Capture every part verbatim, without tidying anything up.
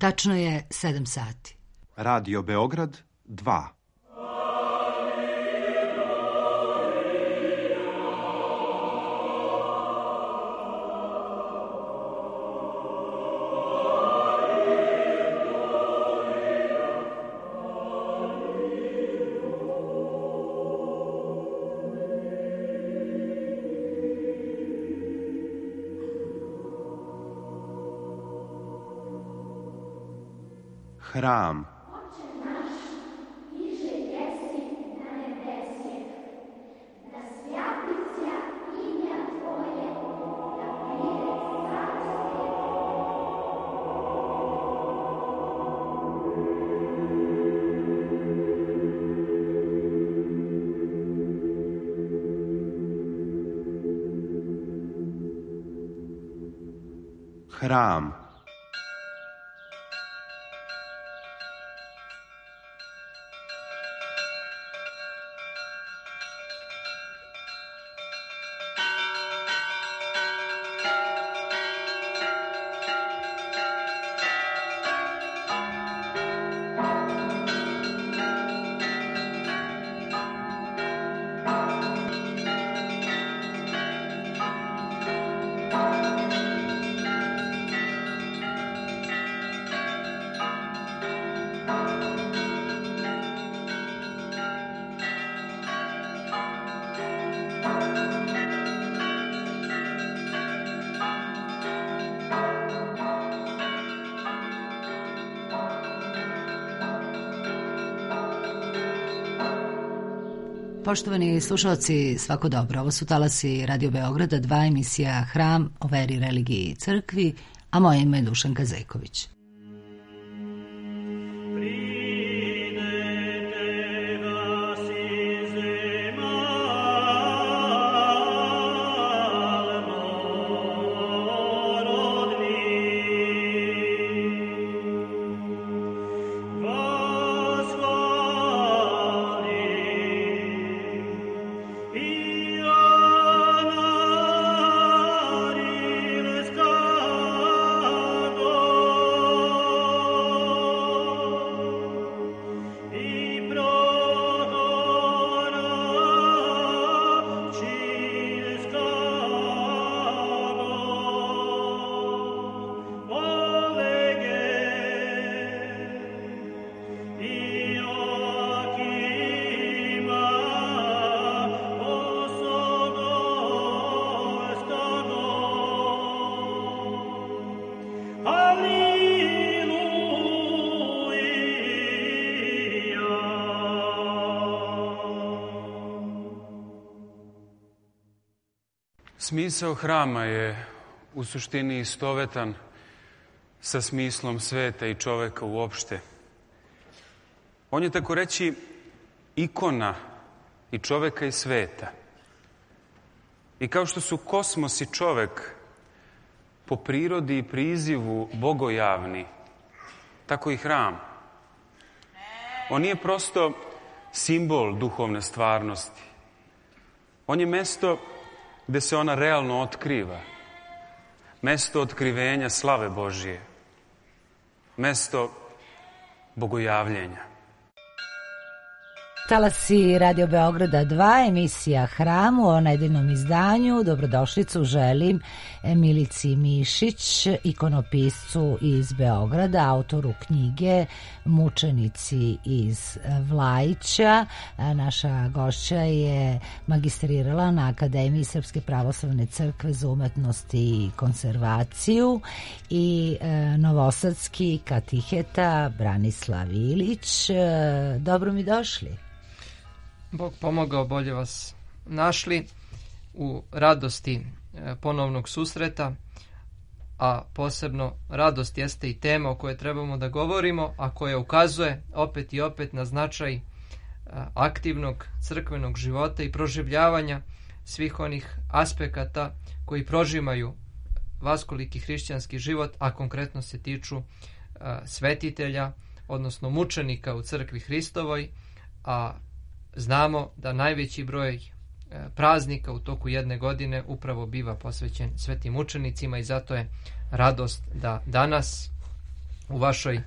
Tačno je sedam sati. Radio Beograd dva. Hram. Hram. Poštovani slušalci, svako dobro. Ovo su talasi Radio Beograda, dva, emisija Hram o veri, religiji i crkvi, a moje ime je Dušanka Zejković. Smisao hrama je u suštini istovetan sa smislom sveta i čoveka uopšte. On je tako reći ikona i čoveka i sveta. I kao što su kosmos i čovek po prirodi i prizivu bogojavni, tako i hram. On nije prosto simbol duhovne stvarnosti. On je mesto gde se ona realno otkriva. Mesto otkrivenja slave Božije. Mesto bogojavljenja. Talasi Radio Beograda dva, emisija Hram u nedeljnom izdanju. Dobrodošlicu želim Milici Mišić, ikonopiscu iz Beograda, autoru knjige Mučenici iz Vlajića. Naša gošća je magistrirala na Akademiji Srpske pravoslavne crkve za umetnost i konzervaciju i novosadski katiheta Branislav Ilić. Dobro mi došli. Bog pomogao, bolje vas našli u radosti ponovnog susreta, a posebno radost jeste i tema o kojoj trebamo da govorimo, a koja ukazuje opet i opet na značaj aktivnog crkvenog života i proživljavanja svih onih aspekata koji prožimaju vaskoliki hrišćanski život, a konkretno se tiču svetitelja, odnosno mučenika u crkvi Hristovoj, a znamo da najveći broj praznika u toku jedne godine upravo biva posvećen svetim mučenicima i zato je radost da danas u vašoj e,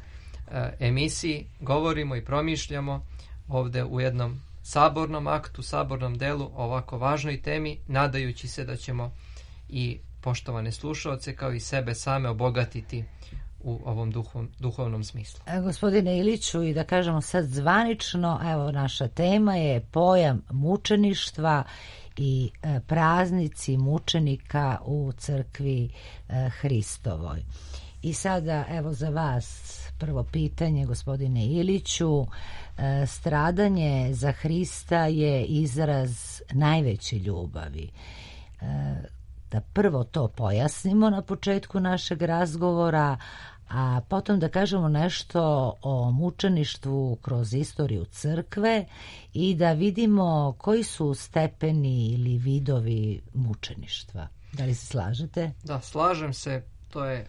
emisiji govorimo i promišljamo ovde u jednom sabornom aktu, sabornom delu o ovako važnoj temi, nadajući se da ćemo i poštovane slušaoce kao i sebe same obogatiti u ovom duhov, duhovnom smislu. E, gospodine Iliću, i da kažemo sad zvanično, evo naša tema je pojam mučeništva i e, praznici mučenika u crkvi e, Hristovoj. I sada evo za vas prvo pitanje, gospodine Iliću. E, stradanje za Hrista je izraz najveće ljubavi. E, da prvo to pojasnimo na početku našeg razgovora, a potom da kažemo nešto o mučeništvu kroz istoriju crkve i da vidimo koji su stepeni ili vidovi mučeništva. Da li se slažete? Da, slažem se. To je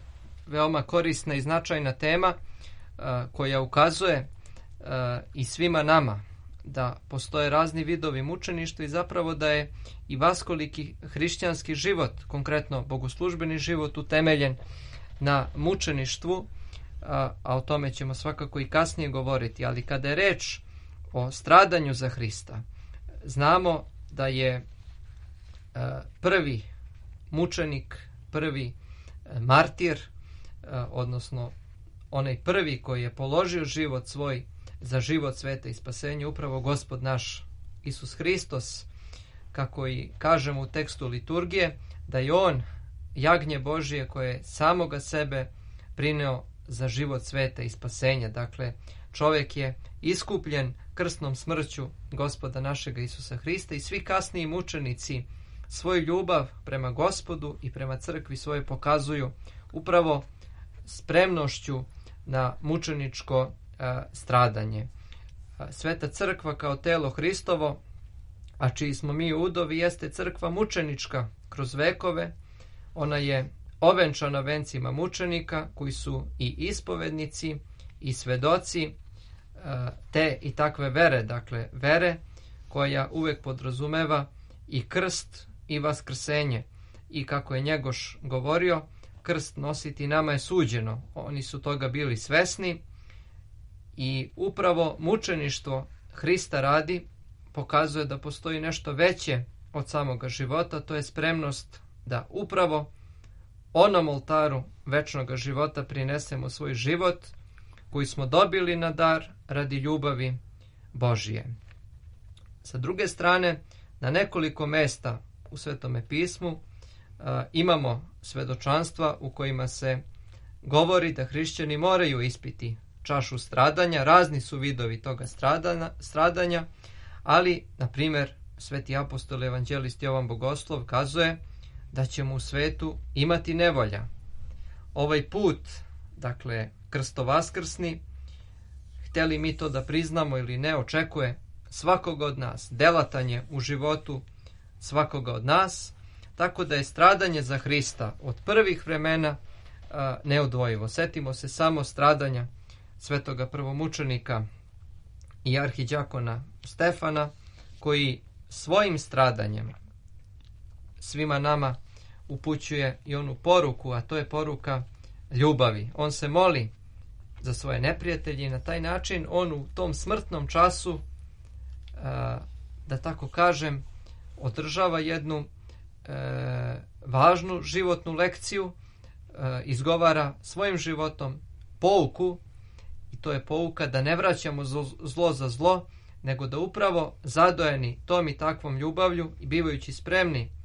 veoma korisna i značajna tema uh, koja ukazuje uh, i svima nama da postoje razni vidovi mučeništva i zapravo da je i vaskoliki hrišćanski život, konkretno bogoslužbeni život, utemeljen na mučeništvu, a, a o tome ćemo svakako i kasnije govoriti. Ali kada je reč o stradanju za Hrista, znamo da je a, prvi mučenik, prvi a, martir, a, odnosno onaj prvi koji je položio život svoj za život sveta i spasenje, upravo Gospod naš Isus Hristos, kako i kažemo u tekstu liturgije, da je on jagnje Božije koje je samoga sebe prineo za život sveta i spasenja. Dakle, čovjek je iskupljen krsnom smrću Gospoda našega Isusa Hrista i svi kasniji mučenici svoju ljubav prema Gospodu i prema crkvi svoje pokazuju upravo spremnošću na mučeničko a, stradanje. A, Sveta crkva kao telo Hristovo, a čiji smo mi udovi, jeste crkva mučenička kroz vekove. Ona je ovenčana vencima mučenika koji su i ispovednici i svedoci te i takve vere, dakle vere koja uvek podrazumeva i krst i vaskrsenje. I kako je Njegoš govorio, krst nositi nama je suđeno. Oni su toga bili svesni i upravo mučeništvo Hrista radi pokazuje da postoji nešto veće od samoga života, to je spremnost da upravo onom oltaru večnog života prinesemo svoj život koji smo dobili na dar radi ljubavi Božije. Sa druge strane, na nekoliko mesta u Svetome pismu a, imamo svedočanstva u kojima se govori da hrišćani moraju ispiti čašu stradanja. Razni su vidovi toga stradanja, stradanja ali, na primjer, sveti apostol evanđelist Jovan Bogoslov kazuje da ćemo u svetu imati nevolja. Ovaj put, dakle, krstovaskrsni, htjeli mi to da priznamo ili ne, očekuje svakoga od nas, delatanje u životu svakoga od nas, tako da je stradanje za Hrista od prvih vremena a, neodvojivo. Setimo se samo stradanja svetoga prvomučenika i arhiđakona Stefana, koji svojim stradanjem svima nama upućuje i onu poruku, a to je poruka ljubavi. On se moli za svoje neprijatelje i na taj način on u tom smrtnom času, da tako kažem, održava jednu važnu životnu lekciju, izgovara svojim životom pouku, i to je pouka da ne vraćamo zlo za zlo, nego da upravo zadojeni tom i takvom ljubavlju i bivajući spremni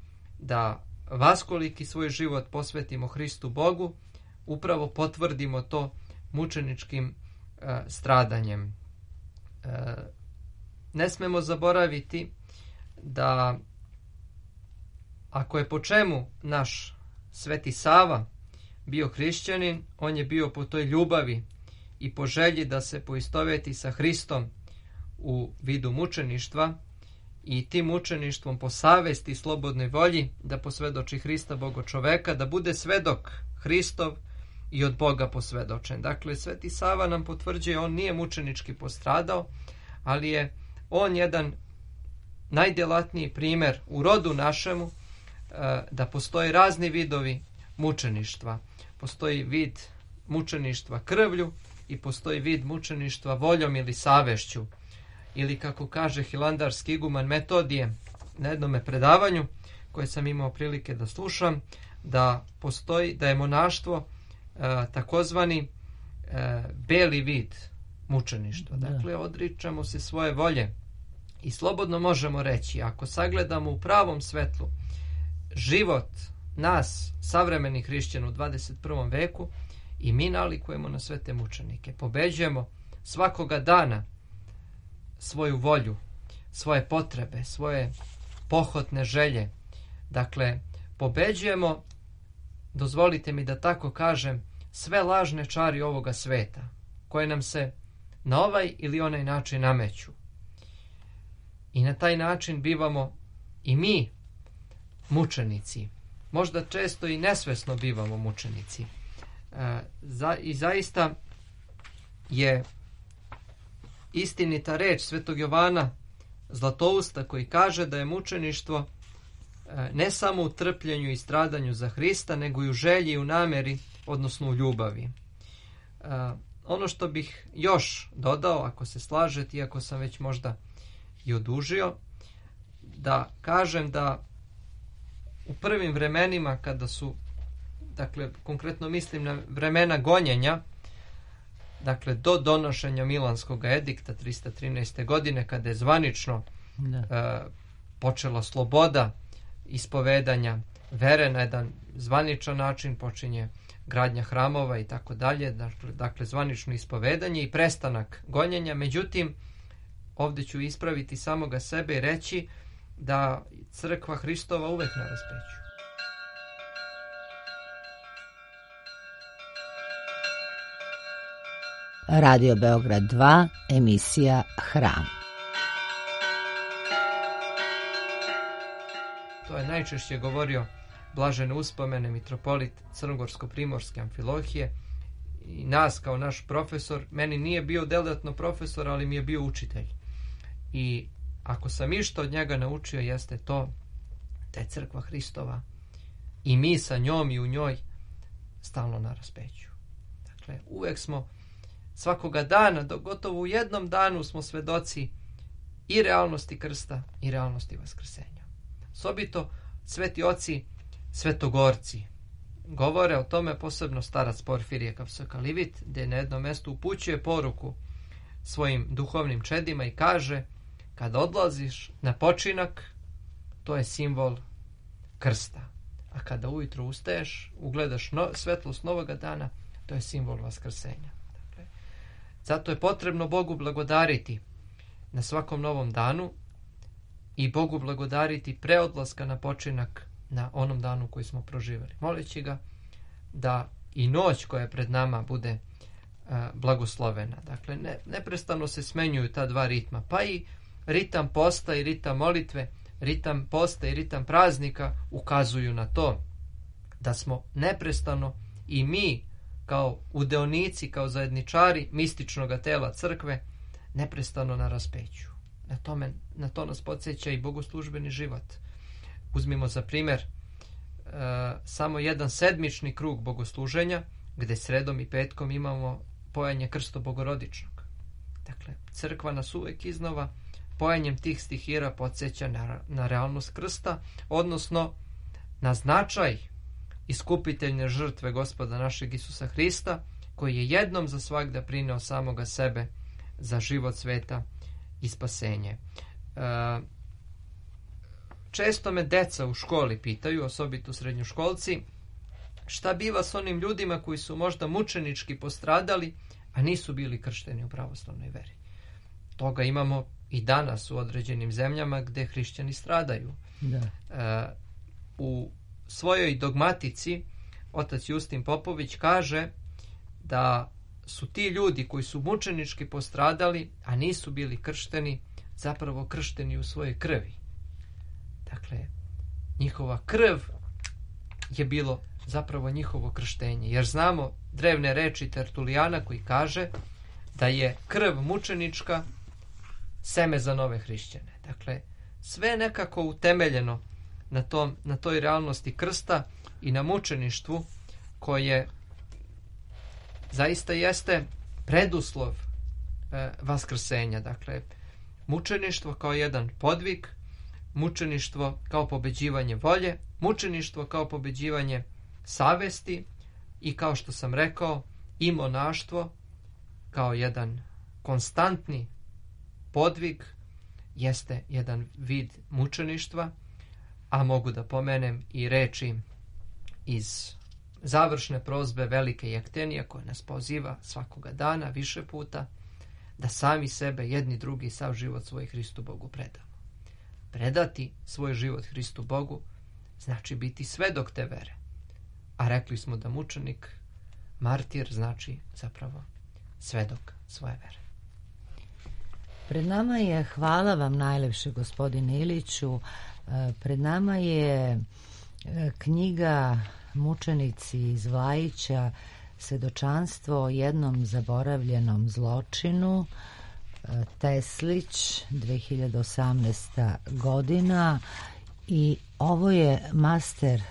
da vaskoliki svoj život posvetimo Hristu Bogu, upravo potvrdimo to mučeničkim e, stradanjem. E, ne smemo zaboraviti da ako je po čemu naš Sveti Sava bio hrišćanin, on je bio po toj ljubavi i po želji da se poistoveti sa Hristom u vidu mučeništva i tim mučeništvom po savesti i slobodnoj volji da posvedoči Hrista Bogo čoveka, da bude svedok Hristov i od Boga posvedočen. Dakle, Sveti Sava nam potvrđuje, on nije mučenički postradao, ali je on jedan najdjelatniji primjer u rodu našemu da postoje razni vidovi mučeništva. Postoji vid mučeništva krvlju i postoji vid mučeništva voljom ili savešću. Ili kako kaže hilandarski iguman Metodije na jednom predavanju koje sam imao prilike da slušam, da postoji, da je monaštvo e, takozvani e, beli vid mučeništva. Dakle, odričamo se svoje volje i slobodno možemo reći, ako sagledamo u pravom svetlu život nas, savremenih hrišćana u dvadeset prvom veku, i mi nalikujemo na sve te mučenike. Pobeđujemo svakoga dana svoju volju, svoje potrebe, svoje pohotne želje. Dakle, pobeđujemo, dozvolite mi da tako kažem, sve lažne čari ovoga sveta, koje nam se na ovaj ili onaj način nameću. I na taj način bivamo i mi mučenici. Možda često i nesvesno bivamo mučenici. E, za, I zaista je istinita reč svetog Jovana Zlatousta koji kaže da je mučeništvo e, ne samo u trpljenju i stradanju za Hrista, nego i u želji i u nameri, odnosno u ljubavi. E, ono što bih još dodao, ako se slažete, iako sam već možda i odužio, da kažem da u prvim vremenima kada su, dakle, konkretno mislim na vremena gonjenja, dakle, do donošenja Milanskog edikta tristo trinaeste. godine, kada je zvanično e, počela sloboda ispovedanja vere na jedan zvaničan način, počinje gradnja hramova i tako dalje, dakle, dakle zvanično ispovedanje i prestanak gonjenja. Međutim, ovdje ću ispraviti samoga sebe i reći da crkva Hristova uvek na raspeću. Radio Beograd dva, emisija Hram. To je najčešće govorio blažene uspomene mitropolit Crnogorsko-primorske Amfilohije i nas kao naš profesor. Meni nije bio deletno profesor, ali mi je bio učitelj. I ako sam išta od njega naučio, jeste to da je crkva Hristova i mi sa njom i u njoj stalno na raspeću. Dakle, uvek smo svakoga dana, do gotovo u jednom danu smo svedoci i realnosti krsta i realnosti vaskrsenja. Osobito sveti oci svetogorci govore o tome, posebno starac Porfirije Kapsokalivit, gdje na jednom mjestu upućuje poruku svojim duhovnim čedima i kaže: kad odlaziš na počinak, to je simbol krsta. A kada ujutro ustaješ, ugledaš no, svetlost novoga dana, to je simbol vaskrsenja. Dakle, zato je potrebno Bogu blagodariti na svakom novom danu i Bogu blagodariti pre odlaska na počinak na onom danu koji smo proživjeli. Moleći ga da i noć koja je pred nama bude a, blagoslovena. Dakle, ne, neprestano se smenjuju ta dva ritma, pa i ritam posta i ritam molitve, ritam posta i ritam praznika ukazuju na to da smo neprestano i mi kao udeonici, kao zajedničari mističnog tela crkve neprestano na raspeću. Na, tome, na to nas podsjeća i bogoslužbeni život. Uzmimo za primjer e, samo jedan sedmični krug bogosluženja gdje sredom i petkom imamo pojanje krsto bogorodičnog. Dakle, crkva nas uvek iznova pojanjem tih stihira podsjeća na, na realnost krsta, odnosno na značaj iskupiteljne žrtve Gospoda našeg Isusa Hrista, koji je jednom za svagda prineo samoga sebe za život sveta i spasenje. E, često me deca u školi pitaju, osobito srednjoškolci, šta biva s onim ljudima koji su možda mučenički postradali, a nisu bili kršteni u pravoslavnoj veri. Toga imamo i danas u određenim zemljama gdje hrišćani stradaju. Da. E, u svojoj dogmatici otac Justin Popović kaže da su ti ljudi koji su mučenički postradali, a nisu bili kršteni, zapravo kršteni u svojoj krvi. Dakle, njihova krv je bilo zapravo njihovo krštenje. Jer znamo drevne reči Tertulijana koji kaže da je krv mučenička seme za nove hrišćane. Dakle, sve nekako utemeljeno na, tom, na toj realnosti krsta i na mučeništvu koje zaista jeste preduslov e, vaskrsenja. Dakle, mučeništvo kao jedan podvig, mučeništvo kao pobeđivanje volje, mučeništvo kao pobeđivanje savesti i, kao što sam rekao, i monaštvo kao jedan konstantni podvig jeste jedan vid mučeništva, a mogu da pomenem i reči iz završne prozbe velike Jektenije, koja nas poziva svakoga dana više puta da sami sebe, jedni drugi, sav život svoj Hristu Bogu predamo. Predati svoj život Hristu Bogu znači biti svedok te vere. A rekli smo da mučenik, martir, znači zapravo svedok svoje vere. Pred nama je, hvala vam najlepše gospodine Iliću, pred nama je knjiga Mučenici iz Vlajića, svedočanstvo o jednom zaboravljenom zločinu, Teslić, dve hiljade osamnaesta godina, i ovo je master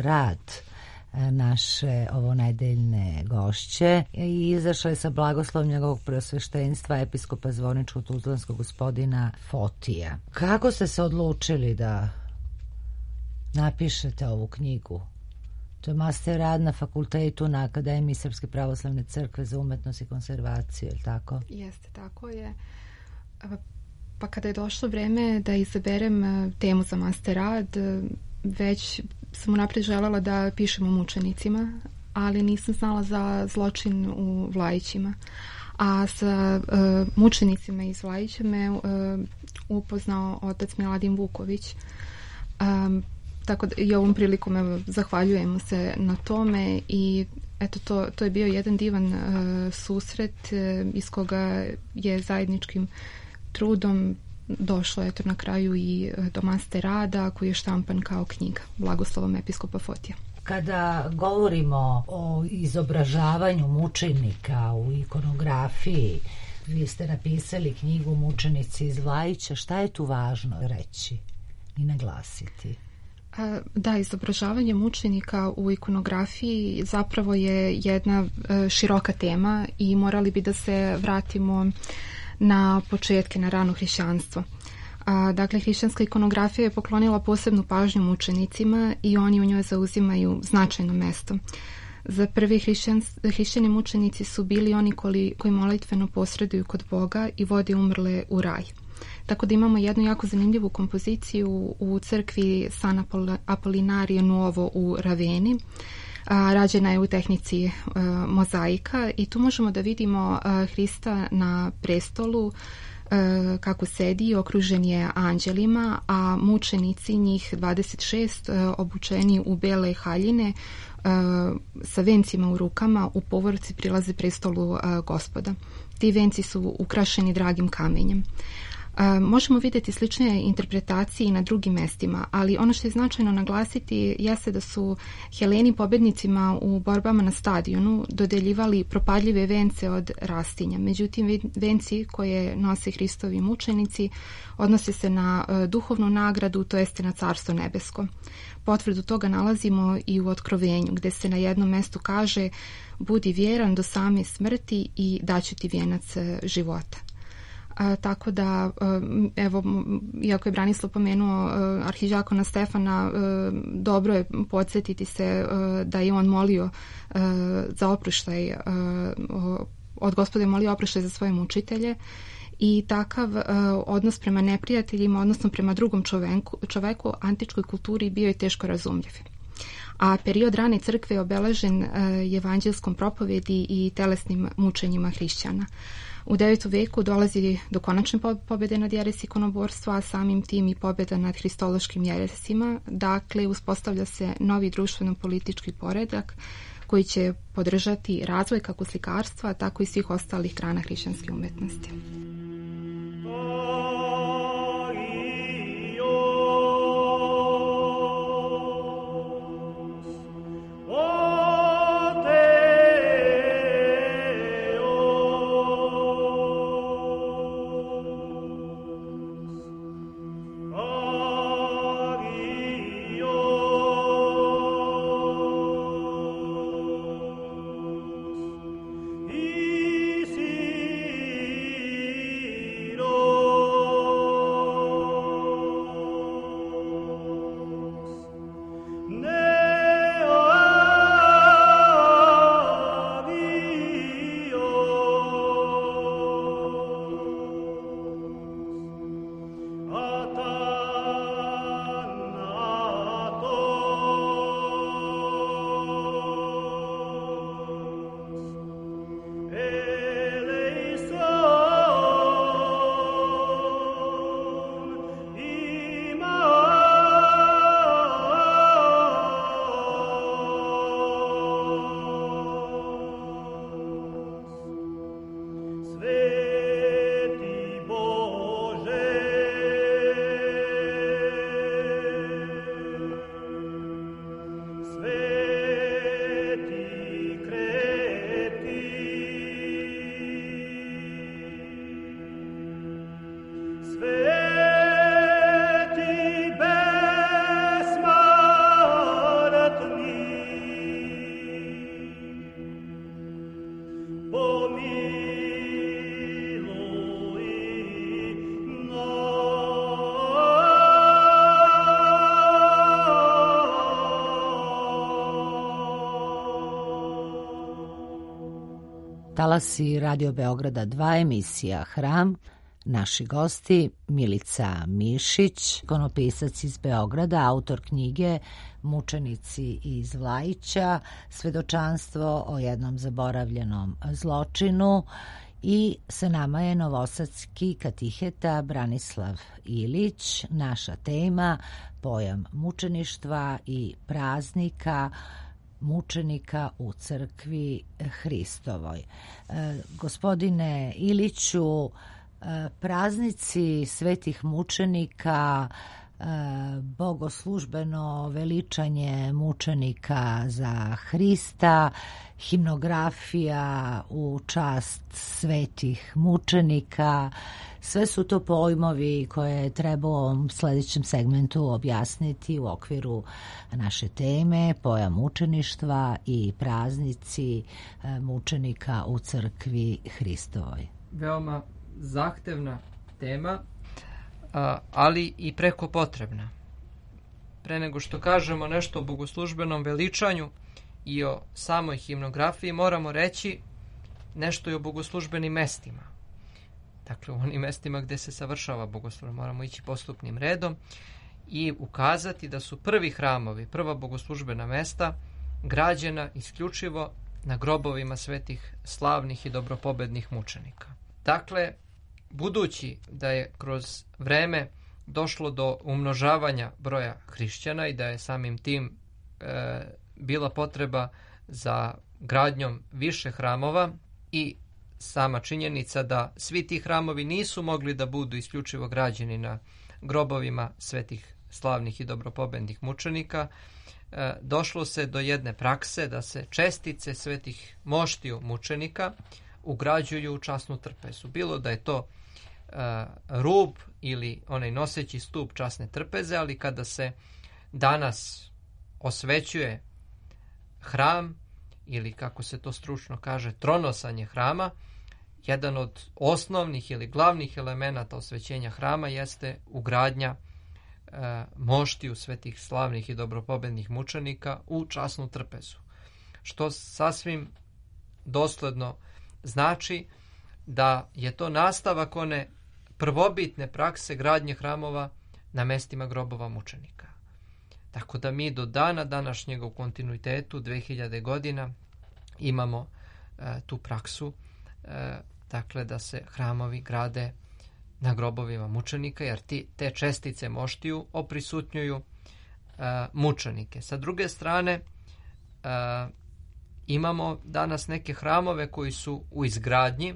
rad naše ovonedeljne gošće i izašla je sa blagoslovom njegovog preosveštenstva episkopa Zvorničko-Tuzlanskog gospodina Fotija. Kako ste se odlučili da napišete ovu knjigu? To je master rad na fakultetu na Akademiji Srpske pravoslavne crkve za umetnost i konzervaciju, je li tako? Jeste, tako je. Pa kada je došlo vreme da izaberem temu za master rad, već sam unaprijed želela da pišem o mučenicima, ali nisam znala za zločin u Vlajićima. A sa uh, mučenicima iz Vlajića me uh, upoznao otac Miladin Vuković. Um, tako da i ovom prilikom evo, zahvaljujem se na tome i eto to, to je bio jedan divan uh, susret uh, iz koga je zajedničkim trudom došlo eto na kraju i do master rada koji je štampan kao knjiga blagoslovom episkopa Fotija. Kada govorimo o izobražavanju mučenika u ikonografiji, vi ste napisali knjigu Mučenici iz Vlajića, šta je tu važno reći i naglasiti? Da, izobražavanje mučenika u ikonografiji zapravo je jedna široka tema i morali bi da se vratimo na početke, na rano hrišćanstvo. A, dakle, hrišćanska ikonografija je poklonila posebnu pažnju mučenicima i oni u njoj zauzimaju značajno mesto. Za prvi hrišćani mučenici su bili oni koji, koji molitveno posreduju kod Boga i vode umrle u raj. Tako da imamo jednu jako zanimljivu kompoziciju u crkvi San Apolinarije Nuovo u Raveni. A, rađena je u tehnici a, mozaika i tu možemo da vidimo a, Hrista na prestolu a, kako sedi, okružen je anđelima, a mučenici, njih dvadeset šest, a, obučeni u bele haljine a, sa vencima u rukama, u povorci prilaze prestolu a, Gospoda. Ti venci su ukrašeni dragim kamenjem. Uh, možemo vidjeti slične interpretacije i na drugim mestima, ali ono što je značajno naglasiti jeste da su Heleni pobednicima u borbama na stadionu dodeljivali propadljive vence od rastinja. Međutim, venci koje nose Hristovi mučenici odnose se na uh, duhovnu nagradu, to jeste na Carstvo nebesko. Potvrdu toga nalazimo i u Otkrovenju, gde se na jednom mestu kaže: budi vjeran do same smrti i daću ti vijenac uh, života. A, tako da, evo, iako je Branislav pomenuo uh, arhidžakona Stefana, uh, dobro je podsjetiti se uh, da je on molio uh, za oproštaj, uh, od Gospoda je molio oproštaj za svoje mučitelje i takav uh, odnos prema neprijateljima, odnosno prema drugom čoveku, čoveku antičkoj kulturi bio je teško razumljiv. A period rane crkve je obeležen uh, evanđelskom propovedi i telesnim mučenjima hrišćana. U devetom veku dolazi do konačne pobjede nad jeresi ikonoborstva, a samim tim i pobjeda nad hristološkim jeresima. Dakle, uspostavlja se novi društveno-politički poredak koji će podržati razvoj kako slikarstva, tako i svih ostalih grana hrišćanske umetnosti. Talasi Radio Beograda dva, emisija Hram. Naši gosti Milica Mišić, ikonopisac iz Beograda, autor knjige Mučenici iz Vlajića, svedočanstvo o jednom zaboravljenom zločinu, i sa nama je novosadski katiheta Branislav Ilić. Naša tema, pojam mučeništva i praznika mučenika u crkvi Hristovoj. E, gospodine Iliću, e, praznici svetih mučenika, e, bogoslužbeno veličanje mučenika za Hrista, himnografija u čast svetih mučenika, sve su to pojmovi koje treba u ovom sljedećem segmentu objasniti u okviru naše teme, pojam mučeništva i praznici mučenika u crkvi Hristovoj. Veoma zahtevna tema, ali i preko potrebna. Pre nego što kažemo nešto o bogoslužbenom veličanju i o samoj himnografiji, moramo reći nešto i o bogoslužbenim mestima. Dakle, u onim mestima gde se savršava bogoslužba, moramo ići postupnim redom i ukazati da su prvi hramovi, prva bogoslužbena mesta građena isključivo na grobovima svetih slavnih i dobropobednih mučenika. Dakle, budući da je kroz vreme došlo do umnožavanja broja hrišćana i da je samim tim e, bila potreba za gradnjom više hramova i sama činjenica da svi ti hramovi nisu mogli da budu isključivo građeni na grobovima svetih slavnih i dobropobednih mučenika, e, došlo se do jedne prakse da se čestice svetih moštiju mučenika ugrađuju u časnu trpezu. Bilo da je to e, rub ili onaj noseći stup časne trpeze, ali kada se danas osvećuje hram, ili kako se to stručno kaže, tronosanje hrama, jedan od osnovnih ili glavnih elemenata osvećenja hrama jeste ugradnja e, moštiju svetih slavnih i dobropobednih mučenika u časnu trpezu. Što sasvim dosledno znači da je to nastavak one prvobitne prakse gradnje hramova na mestima grobova mučenika. Tako da mi do dana današnjega u kontinuitetu dve hiljade godina imamo e, tu praksu, e, dakle da se hramovi grade na grobovima mučenika, jer ti, te čestice moštiju oprisutnjuju e, mučenike. Sa druge strane, e, imamo danas neke hramove koji su u izgradnji,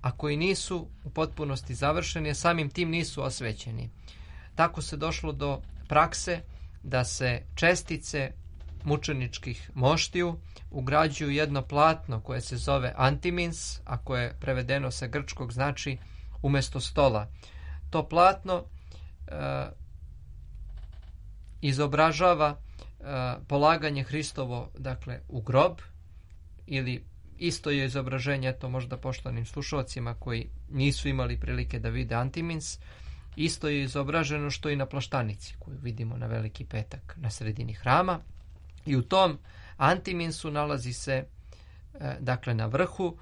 a koji nisu u potpunosti završeni, a samim tim nisu osvećeni. Tako se došlo do prakse da se čestice mučeničkih moštiju ugrađuju jedno platno koje se zove antimins, a koje prevedeno sa grčkog znači umjesto stola. To platno e, izobražava e, polaganje Hristovo, dakle, u grob, ili isto je izobraženje, to možda poštovanim slušalcima koji nisu imali prilike da vide antimins, isto je izobraženo što i na plaštanici koju vidimo na Veliki petak na sredini hrama. I u tom antiminsu nalazi se, e, dakle, na vrhu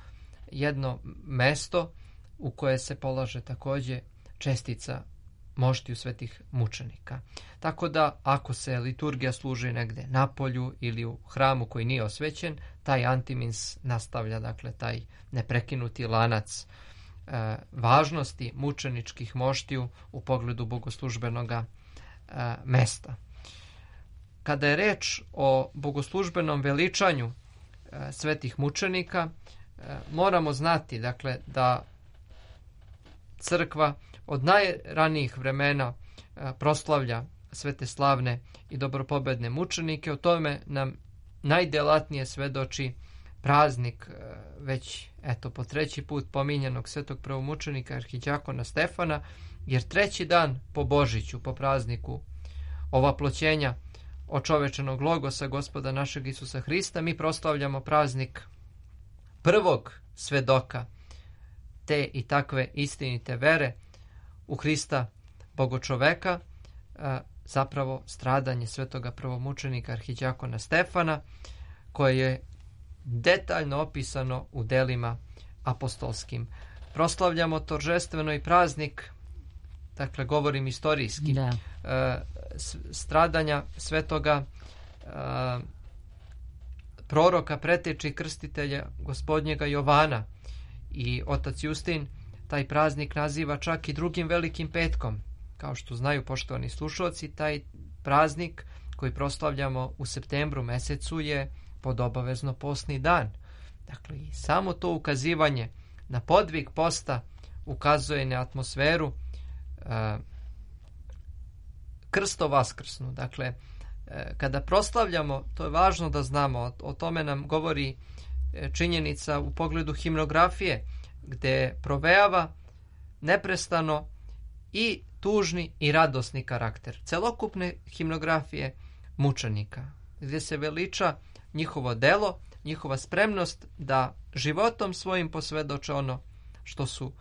jedno mesto u koje se polaže također čestica moštiju svetih mučenika. Tako da ako se liturgija služi negde na polju ili u hramu koji nije osvećen, taj antimins nastavlja, dakle, taj neprekinuti lanac e, važnosti mučeničkih moštiju u pogledu bogoslužbenoga e, mesta. Kada je reč o bogoslužbenom veličanju e, svetih mučenika, moramo znati, dakle, da crkva od najranijih vremena proslavlja sve te slavne i dobropobedne mučenike. O tome nam najdelatnije svedoči praznik već eto po treći put pominjanog svetog prvomučenika arhiđakona Stefana, jer treći dan po Božiću, po prazniku ovaploćenja očovečenog logosa Gospoda našeg Isusa Hrista, mi proslavljamo praznik prvog svedoka te i takve istinite vere u Hrista Bogočoveka, zapravo stradanje svetoga prvomučenika arhiđakona Stefana, koje je detaljno opisano u delima apostolskim. Proslavljamo торжествено i praznik, dakle govorim istorijski, da. stradanja svetoga proroka, preteče i krstitelja gospodnjega Jovana, i otac Justin taj praznik naziva čak i drugim velikim petkom. Kao što znaju poštovani slušalci, taj praznik koji proslavljamo u septembru mesecu je pod obavezno postni dan. Dakle, i samo to ukazivanje na podvig posta ukazuje na atmosferu uh, krsto vaskrsnu. Dakle, uh, kada proslavljamo, to je važno da znamo, o, o tome nam govori činjenica u pogledu himnografije, gde provejava neprestano i tužni i radosni karakter celokupne himnografije mučenika, gdje se veliča njihovo delo, njihova spremnost da životom svojim posvedoče ono što su,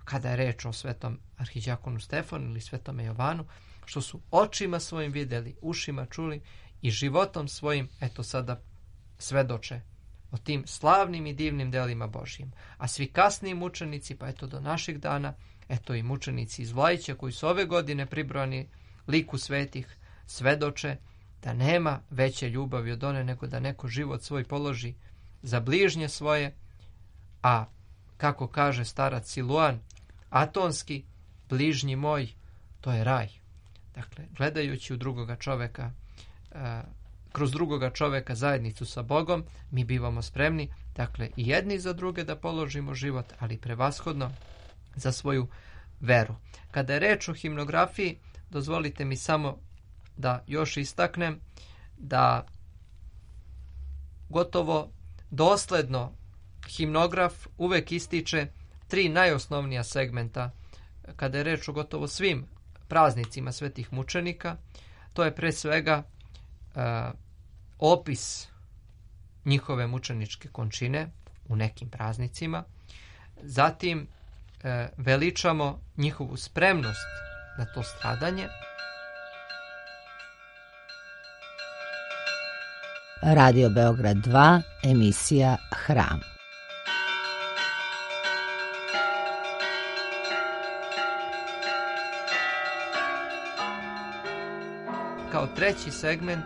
kada je reč o svetom arhiđakonu Stefanu ili svetome Jovanu, što su očima svojim vidjeli, ušima čuli i životom svojim, eto sada, svedoče o tim slavnim i divnim delima Božjim. A svi kasniji mučenici, pa eto do naših dana, eto i mučenici iz Vlajića koji su ove godine pribrojani liku svetih, svedoče da nema veće ljubavi od one nego da neko život svoj položi za bližnje svoje, a kako kaže starac Siluan, atonski, bližnji moj, to je raj. Dakle, gledajući u drugoga čoveka, kroz drugoga čoveka zajednicu sa Bogom, mi bivamo spremni, dakle, i jedni za druge da položimo život, ali prevashodno za svoju veru. Kada je reč o himnografiji, dozvolite mi samo da još istaknem da gotovo dosledno himnograf uvek ističe tri najosnovnija segmenta kada je reč o gotovo svim praznicima svetih mučenika. To je pre svega uh, opis njihove mučeničke končine u nekim praznicima. Zatim uh, veličamo njihovu spremnost na to stradanje. Radio Beograd dva, emisija Hram. Kao treći segment,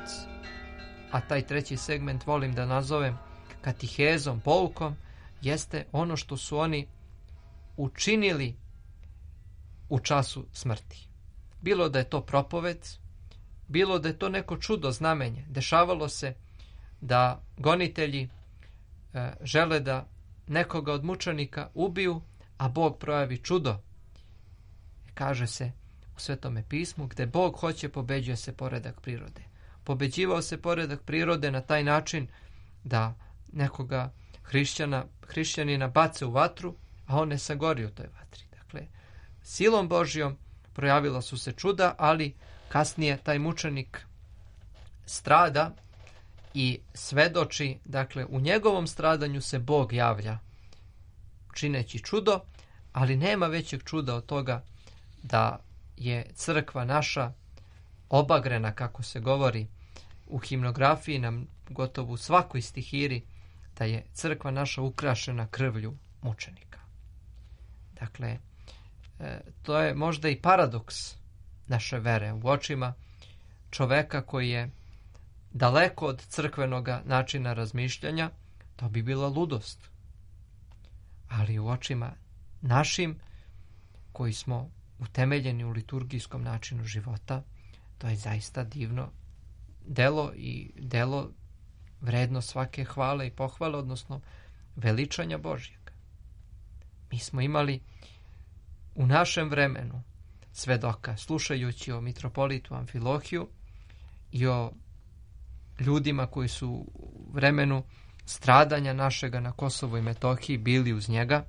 a taj treći segment volim da nazovem katihezom, poukom, jeste ono što su oni učinili u času smrti. Bilo da je to propoved, bilo da je to neko čudo, znamenje. Dešavalo se da gonitelji e, žele da nekoga od mučenika ubiju, a Bog projavi čudo. Kaže se u Svetome pismu, gde Bog hoće, pobeđuje se poredak prirode. Pobeđivao se poredak prirode na taj način da nekoga hrišćana, hrišćanina bace u vatru, a on ne sagori u toj vatri. Dakle, silom Božjom projavila su se čuda, ali kasnije taj mučenik strada i svedoči, dakle, u njegovom stradanju se Bog javlja čineći čudo, ali nema većeg čuda od toga da je crkva naša obagrena, kako se govori u himnografiji, nam gotovo u svakoj stihiri, da je crkva naša ukrašena krvlju mučenika. Dakle, to je možda i paradoks naše vere u očima čoveka koji je daleko od crkvenog načina razmišljanja, to bi bila ludost. Ali u očima našim, koji smo utemeljeni u liturgijskom načinu života, to je zaista divno delo i delo vredno svake hvale i pohvale, odnosno veličanja Božjeg. Mi smo imali u našem vremenu svedoka, slušajući o mitropolitu Amfilohiju i o ljudima koji su u vremenu stradanja našega na Kosovu i Metohiji bili uz njega,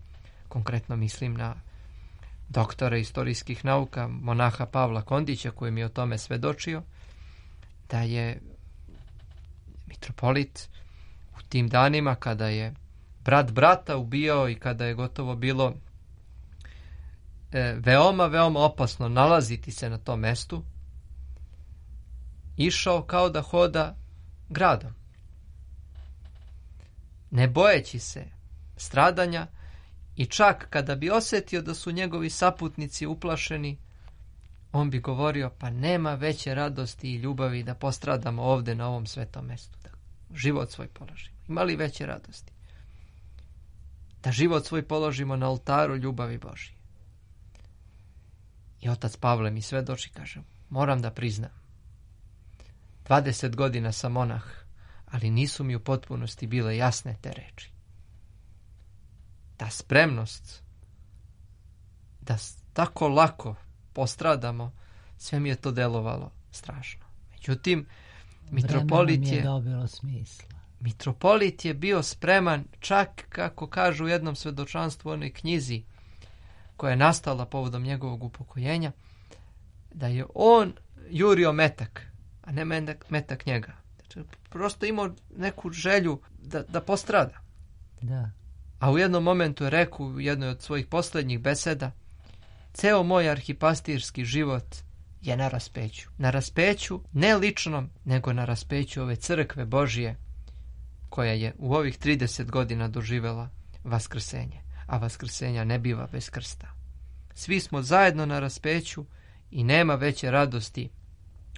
konkretno mislim na doktora istorijskih nauka, monaha Pavla Kondića, koji mi je o tome svedočio, da je mitropolit u tim danima kada je brat brata ubijao i kada je gotovo bilo e, veoma, veoma opasno nalaziti se na tom mestu, išao kao da hoda gradom. Ne bojeći se stradanja i čak kada bi osjetio da su njegovi saputnici uplašeni, on bi govorio, pa nema veće radosti i ljubavi da postradamo ovde na ovom svetom mestu, da život svoj položimo. Ima li veće radosti? Da život svoj položimo na oltaru ljubavi Božije. I otac Pavle mi svedoči, kaže, moram da priznam, dvadeset godina sam monah, ali nisu mi u potpunosti bile jasne te reči. Ta spremnost da tako lako postradamo, sve mi je to delovalo strašno. Međutim, mitropolit je, je dobilo smisla. Mitropolit je bio spreman, čak kako kažu u jednom svedočanstvu u onoj knjizi koja je nastala povodom njegovog upokojenja, da je on jurio metak, a ne metak, metak njega. Znači, prosto imao neku želju da, da postrada. Da. A u jednom momentu je rekao u jednoj od svojih posljednjih beseda, ceo moj arhipastirski život je na raspeću. Na raspeću, ne ličnom, nego na raspeću ove crkve Božije, koja je u ovih trideset godina doživela vaskrsenje. A vaskrsenja ne biva bez krsta. Svi smo zajedno na raspeću i nema veće radosti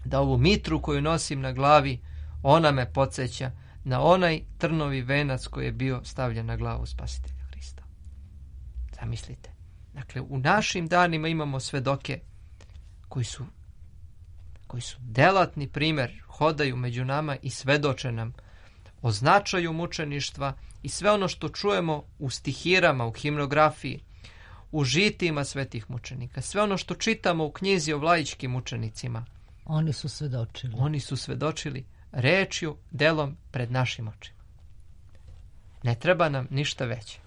da ovu mitru koju nosim na glavi, ona me podsjeća na onaj trnovi venac koji je bio stavljen na glavu Spasitelja Hrista. Zamislite. Dakle, u našim danima imamo svedoke koji su, koji su delatni primjer, hodaju među nama i svedoče nam o značaju mučeništva i sve ono što čujemo u stihirama, u himnografiji, u žitima svetih mučenika, sve ono što čitamo u knjizi o vlajičkim mučenicima. Oni su svedočili. Oni su svedočili rečju, delom pred našim očima. Ne treba nam ništa veće.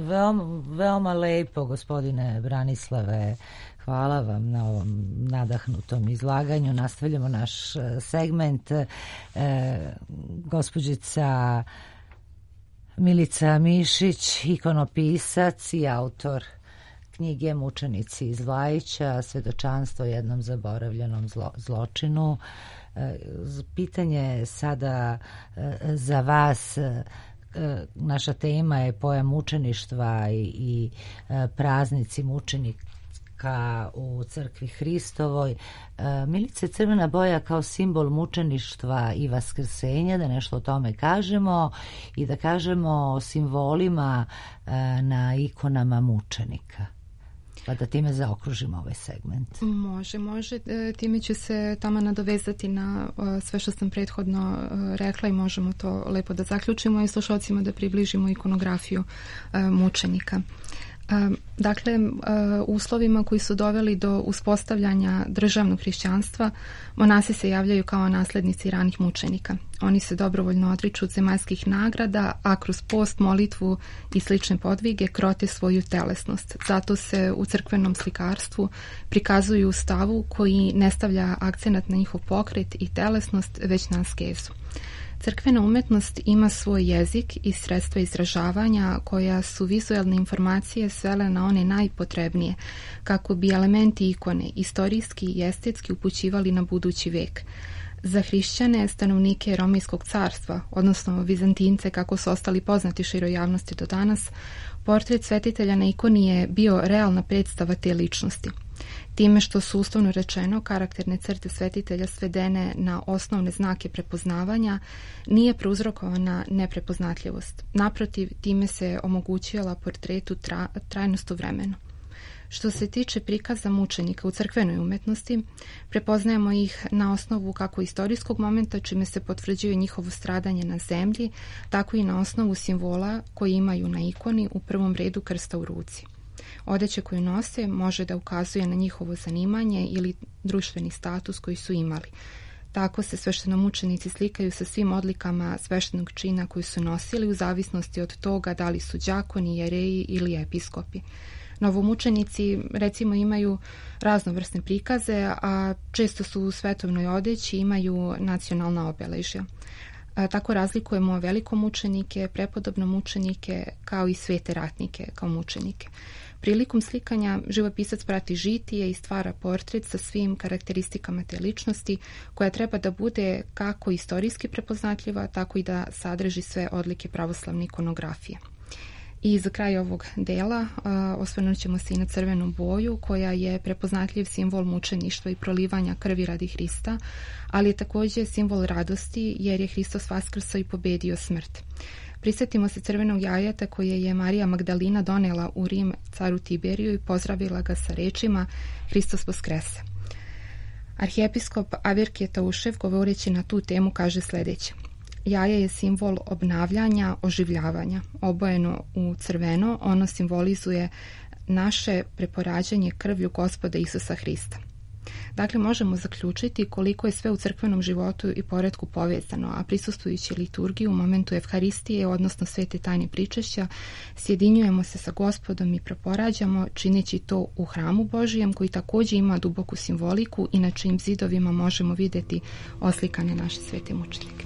Veoma, veoma lepo, gospodine Branislave. Hvala vam na ovom nadahnutom izlaganju. Nastavljamo naš segment. E, gospođica Milica Mišić, ikonopisac i autor knjige Mučenici iz Vlajića, svedočanstvo o jednom zaboravljenom zlo, zločinu. E, pitanje sada e, za vas. E, naša tema je pojam mučeništva i, i e, praznici mučenika u crkvi Hristovoj. E, Milice, crvena boja kao simbol mučeništva i vaskrsenja, da nešto o tome kažemo i da kažemo o simbolima e, na ikonama mučenika. Pa da time zaokružimo ovaj segment. Može, može. Time ću se tamo nadovezati na sve što sam prethodno rekla i možemo to lepo da zaključimo i slušalcima da približimo ikonografiju mučenika. Dakle, u uslovima koji su doveli do uspostavljanja državnog hrišćanstva, monasi se javljaju kao naslednici ranih mučenika. Oni se dobrovoljno odriču od zemaljskih nagrada, a kroz post, molitvu i slične podvige krote svoju telesnost. Zato se u crkvenom slikarstvu prikazuju u stavu koji ne stavlja akcenat na njihov pokret i telesnost, već na askezu. Crkvena umetnost ima svoj jezik i sredstva izražavanja koja su vizualne informacije svele na one najpotrebnije, kako bi elementi ikone istorijski i estetski upućivali na budući vek. Za hrišćane, stanovnike Romejskog carstva, odnosno Vizantince kako su ostali poznati široj javnosti do danas, portret svetitelja na ikoni je bio realna predstava te ličnosti. Time što su ustavno rečeno karakterne crte svetitelja svedene na osnovne znake prepoznavanja, nije prouzrokovana neprepoznatljivost. Naprotiv, time se omogućila portretu tra, trajnost u vremenu. Što se tiče prikaza mučenika u crkvenoj umetnosti, prepoznajemo ih na osnovu kako istorijskog momenta, čime se potvrđuje njihovo stradanje na zemlji, tako i na osnovu simbola koji imaju na ikoni, u prvom redu krsta u ruci. Odeća koju nose može da ukazuje na njihovo zanimanje ili društveni status koji su imali. Tako se sveštenomučenici slikaju sa svim odlikama sveštenog čina koji su nosili u zavisnosti od toga da li su đakoni, jereji ili episkopi. Novomučenici recimo imaju raznovrsne prikaze, a često su u svetovnoj odeći, imaju nacionalna obeležja. Tako razlikujemo velikomučenike, prepodobnomučenike kao i svete ratnike kao mučenike. Prilikom slikanja živopisac prati žitije i stvara portret sa svim karakteristikama te ličnosti, koja treba da bude kako istorijski prepoznatljiva, tako i da sadrži sve odlike pravoslavne ikonografije. I za kraj ovog dela uh, osvrnut ćemo se i na crvenu boju, koja je prepoznatljiv simbol mučeništva i prolivanja krvi radi Hrista, ali je također simbol radosti jer je Hristos vaskrsao i pobedio smrt. Prisjetimo se crvenog jajeta koje je Marija Magdalina donela u Rim caru Tiberiju i pozdravila ga sa rečima Hristos vaskrese. Arhijepiskop Avirkije Taušev, govoreći na tu temu, kaže sljedeće: jaje je simbol obnavljanja, oživljavanja. Obojeno u crveno, ono simbolizuje naše preporađanje krvlju Gospoda Isusa Hrista. Dakle, možemo zaključiti koliko je sve u crkvenom životu i poretku povezano, a prisustvujući liturgiji u momentu Evharistije, odnosno svete tajne pričešća, sjedinjujemo se sa Gospodom i preporađamo, čineći to u hramu Božijem, koji također ima duboku simboliku i na čijim zidovima možemo vidjeti oslikane naše svete mučenike.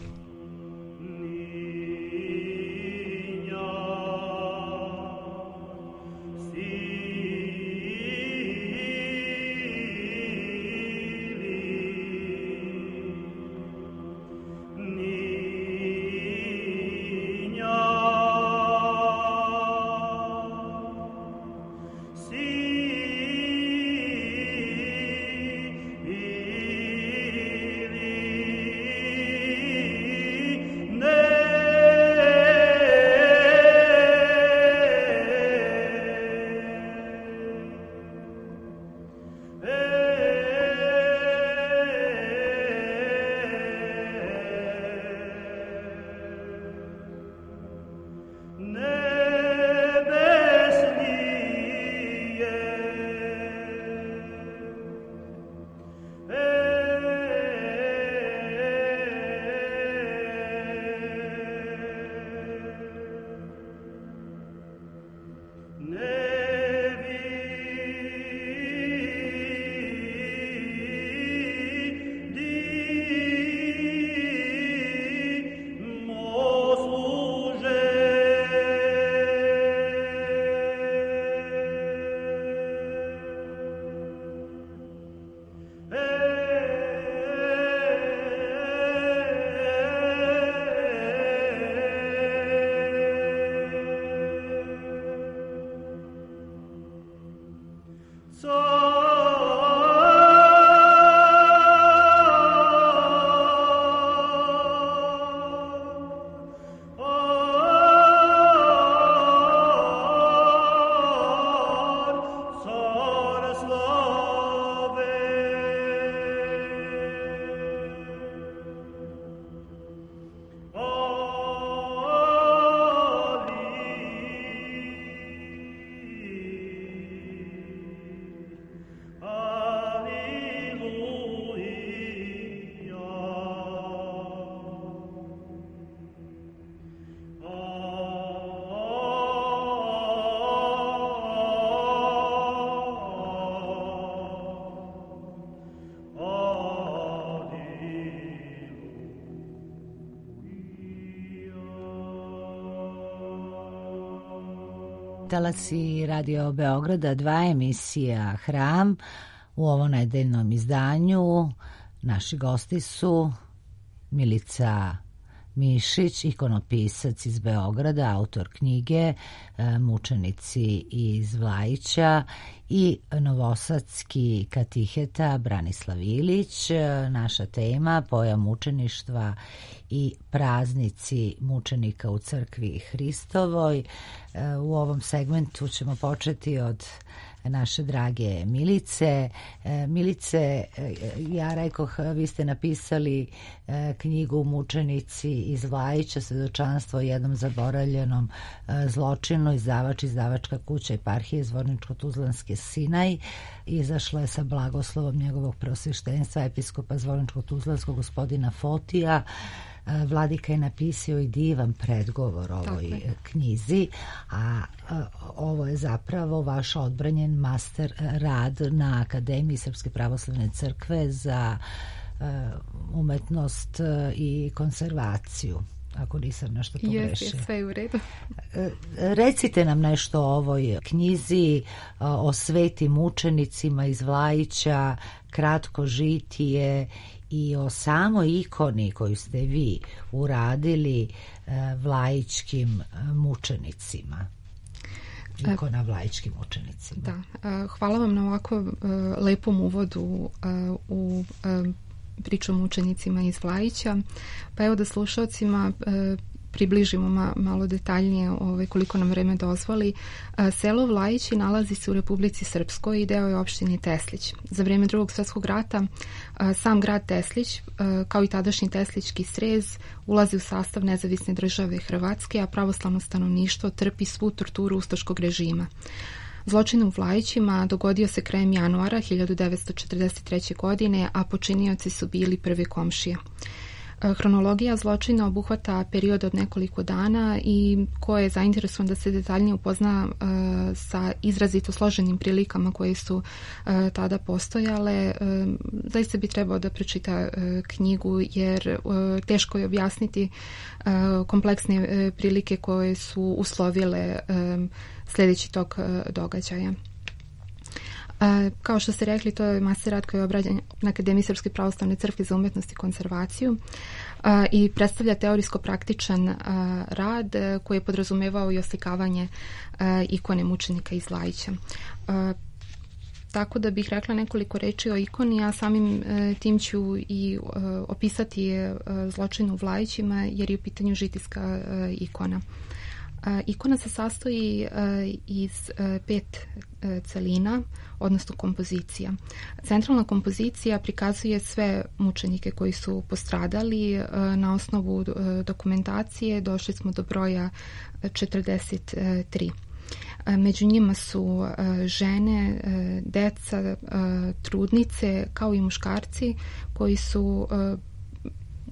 Talasi Radio Beograda, dva emisija Hram. U ovom nedeljnom izdanju naši gosti su Milica Mišić, ikonopisac iz Beograda, autor knjige Mučenici iz Vlajića, i novosadski katiheta Branislav Ilić. Naša tema: pojam mučeništva i praznici mučenika u crkvi Hristovoj. U ovom segmentu ćemo početi od naše drage Milice. Milice, ja rekoh, vi ste napisali knjigu Mučenici iz Vlajića, svedočanstvo o jednom zaboravljenom zločinu, izdavač, izdavačka kuća Eparhije Zvorničko-Tuzlanske Sinaj. Izašla je sa blagoslovom njegovog preosveštenstva episkopa Zvorničko-Tuzlanskog gospodina Fotija. Vladika je napisao i divan predgovor ovoj knjizi, a ovo je zapravo vaš odbranjen master rad na Akademiji Srpske pravoslavne crkve za umetnost i konzervaciju, ako nisam nešto pogrešio. Jes, sve je u redu. Recite nam nešto o ovoj knjizi, o svetim mučenicima iz Vlajića, kratko žitije i o samoj ikoni koju ste vi uradili vlajičkim mučenicima. Ikona vlajičkim mučenicima. Da, hvala vam na ovako lepom uvodu u priču o mučenicima iz Vlajića. Pa evo da slušalcima približimo ma, malo detaljnije ovaj, koliko nam vreme dozvoli. Selo Vlajići nalazi se u Republici Srpskoj i deo je opštine Teslić. Za vrijeme Drugog svjetskog rata sam grad Teslić, kao i tadašnji Teslićki srez, ulazi u sastav nezavisne države Hrvatske, a pravoslavno stanovništvo trpi svu torturu ustaškog režima. Zločin u Vlajićima dogodio se krajem januara hiljadu devetsto četrdeset treće. godine, a počinioci su bili prve komšije. Hronologija zločina obuhvata period od nekoliko dana i ko je zainteresovan da se detaljnije upozna uh, sa izrazito složenim prilikama koje su uh, tada postojale, uh, zaista bi trebao da pročita uh, knjigu, jer uh, teško je objasniti uh, kompleksne uh, prilike koje su uslovile um, sljedeći tok uh, događaja. Uh, kao što ste rekli, to je master rad koji je obrađen na Akademiji Srpske pravoslavne crkve za umetnost i konzervaciju uh, i predstavlja teorijsko-praktičan uh, rad uh, koji je podrazumevao i oslikavanje uh, ikone mučenika iz Vlajića. Uh, tako da bih rekla nekoliko reči o ikoni, a samim uh, tim ću i uh, opisati uh, zločin u Vlajićima, jer je u pitanju žitijska uh, ikona. Uh, ikona se sastoji uh, iz uh, pet uh, celina, odnosno kompozicija. Centralna kompozicija prikazuje sve mučenike koji su postradali. Uh, na osnovu uh, dokumentacije došli smo do broja četrdeset tri. Uh, među njima su uh, žene, uh, deca, uh, trudnice, kao i muškarci koji su uh,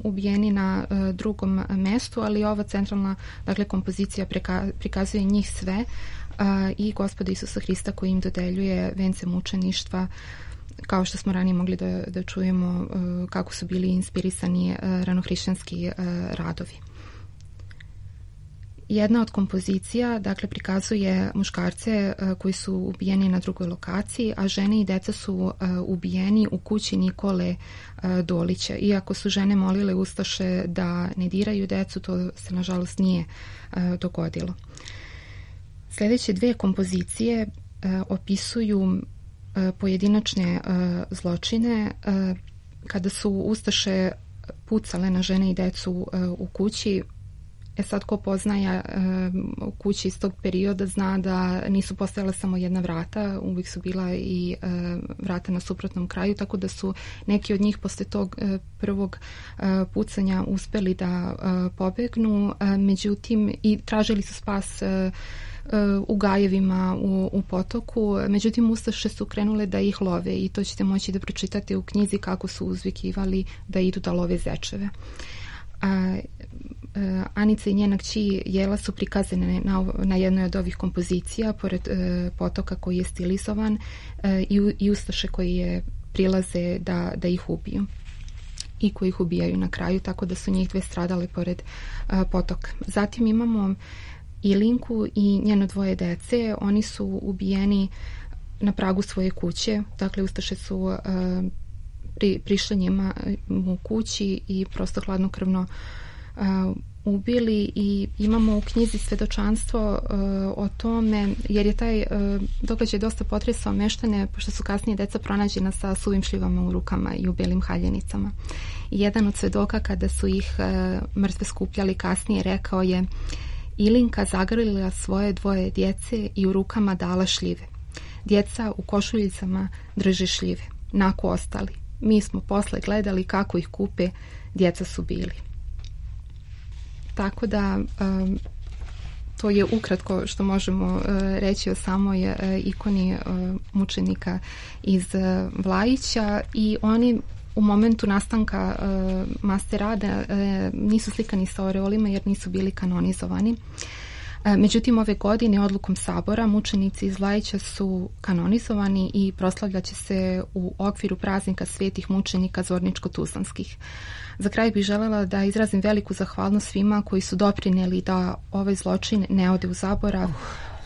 ubijeni na uh, drugom mestu, ali ova centralna, dakle, kompozicija preka, prikazuje njih sve uh, i Gospoda Isusa Hrista koji im dodeljuje vence mučeništva, kao što smo ranije mogli da, da čujemo uh, kako su bili inspirisani uh, ranohrišćanski uh, radovi. Jedna od kompozicija, dakle, prikazuje muškarce uh, koji su ubijeni na drugoj lokaciji, a žene i deca su uh, ubijeni u kući Nikole uh, Dolića. Iako su žene molile ustaše da ne diraju decu, to se nažalost nije uh, dogodilo. Sljedeće dve kompozicije uh, opisuju uh, pojedinačne uh, zločine uh, kada su ustaše pucale na žene i decu uh, u kući. E sad, ko poznaje uh, kući iz tog perioda zna da nisu postojala samo jedna vrata, uvijek su bila i uh, vrata na suprotnom kraju, tako da su neki od njih posle tog uh, prvog uh, pucanja uspeli da uh, pobegnu, uh, međutim, i tražili su spas uh, uh, u gajevima u, u potoku, međutim ustaše su krenule da ih love i to ćete moći da pročitate u knjizi kako su uzvikivali da idu da love zečeve. A, Anica i njena kći Jela su prikazane na, na jednoj od ovih kompozicija pored e, potoka koji je stilizovan e, i, i ustaše koji je prilaze da, da ih ubiju i koji ih ubijaju na kraju, tako da su njih dve stradale pored e, potoka. Zatim imamo Ilinku i njeno dvoje dece. Oni su ubijeni na pragu svoje kuće, dakle ustaše su e, pri, prišli njima u kući i prosto hladnokrvno Uh, ubili, i imamo u knjizi svedočanstvo uh, o tome, jer je taj uh, događaj dosta potresao meštane, pošto su kasnije deca pronađena sa suvim šljivama u rukama i u belim haljenicama. I jedan od svedoka, kada su ih uh, mrtve skupljali kasnije, rekao je: Ilinka zagrlila svoje dvoje djece i u rukama dala šljive. Djeca u košuljicama drže šljive. Nako ostali. Mi smo posle gledali kako ih kupe, djeca su bili. Tako da um, to je ukratko što možemo uh, reći o samoj uh, ikoni uh, mučenika iz uh, Vlajića, i oni u momentu nastanka uh, masterada uh, nisu slikani sa oreolima jer nisu bili kanonizovani. Uh, međutim, ove godine odlukom Sabora mučenici iz Vlajića su kanonizovani i proslavljaće se u okviru praznika svetih mučenika Zorničko-Tuzlanskih. Za kraj bih želela da izrazim veliku zahvalnost svima koji su doprinijeli da ovaj zločin ne ode u zaborav.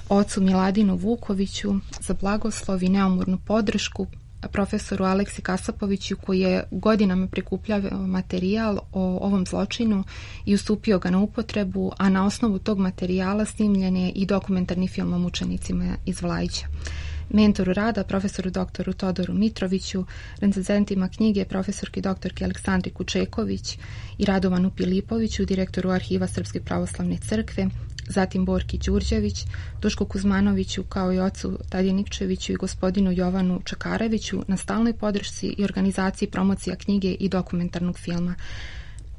Ocu Miladinu Vukoviću za blagoslov i neumornu podršku, profesoru Aleksi Kasapoviću koji je godinama prikupljao materijal o ovom zločinu i ustupio ga na upotrebu, a na osnovu tog materijala snimljen je i dokumentarni film o mučenicima iz Vlajića. Mentoru rada, profesoru doktoru Todoru Mitroviću, recenzentima knjige profesorki doktorki Aleksandri Kučeković i Radovanu Pilipoviću, direktoru Arhiva Srpske pravoslavne crkve, zatim Borki Đurđević, Dušku Kuzmanoviću kao i ocu Tadje Nikčeviću i gospodinu Jovanu Čakareviću na stalnoj podršci i organizaciji promocija knjige i dokumentarnog filma.